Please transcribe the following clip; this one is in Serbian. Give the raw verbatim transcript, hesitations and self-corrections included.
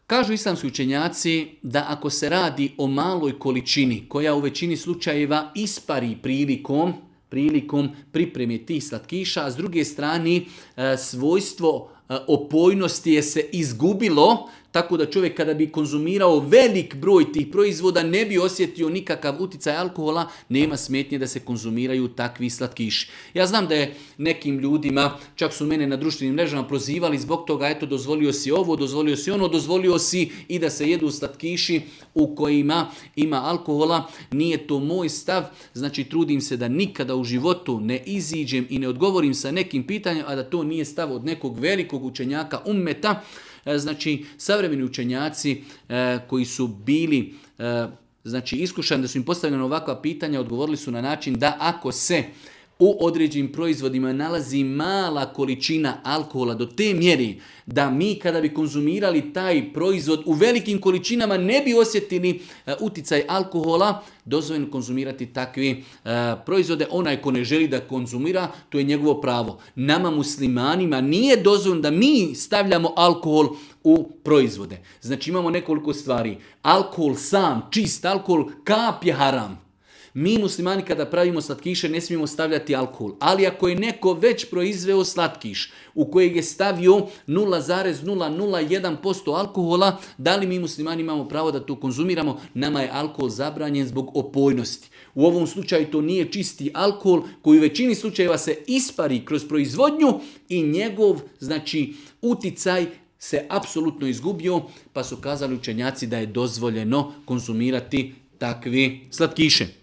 Kažu islamski učenjaci da ako se radi o maloj količini koja u većini slučajeva ispari prilikom, prilikom pripreme tih slatkiša, a s druge strane svojstvo opojnosti je se izgubilo, tako da čovjek kada bi konzumirao velik broj tih proizvoda ne bi osjetio nikakav uticaj alkohola, nema smetnje da se konzumiraju takvi slatkiši. Ja znam da je nekim ljudima, čak su mene na društvenim mrežama prozivali zbog toga, eto dozvolio si ovo, dozvolio si ono, dozvolio si i da se jedu slatkiši u kojima ima alkohola. Nije to moj stav, znači trudim se da nikada u životu ne iziđem i ne odgovorim sa nekim pitanjem, a da to nije stav od nekog velikog učenjaka ummeta. Znači, savremeni učenjaci e, koji su bili e, znači, iskušani da su im postavljena ovakva pitanja, odgovorili su na način da ako se u određenim proizvodima nalazi mala količina alkohola do te mjeri da mi kada bi konzumirali taj proizvod u velikim količinama ne bi osjetili uh, uticaj alkohola, dozvoljeno konzumirati takve uh, proizvode. Onaj ko ne želi da konzumira, to je njegovo pravo. Nama muslimanima nije dozvoljeno da mi stavljamo alkohol u proizvode. Znači imamo nekoliko stvari. Alkohol sam, čist alkohol, kap je haram. Mi muslimani kada pravimo slatkiše ne smijemo stavljati alkohol, ali ako je neko već proizveo slatkiš u kojeg je stavio nula zarez nula nula jedan posto alkohola, da li mi muslimani imamo pravo da to konzumiramo? Nama je alkohol zabranjen zbog opojnosti. U ovom slučaju to nije čisti alkohol koji u većini slučajeva se ispari kroz proizvodnju i njegov znači uticaj se apsolutno izgubio, pa su kazali učenjaci da je dozvoljeno konzumirati takve slatkiše.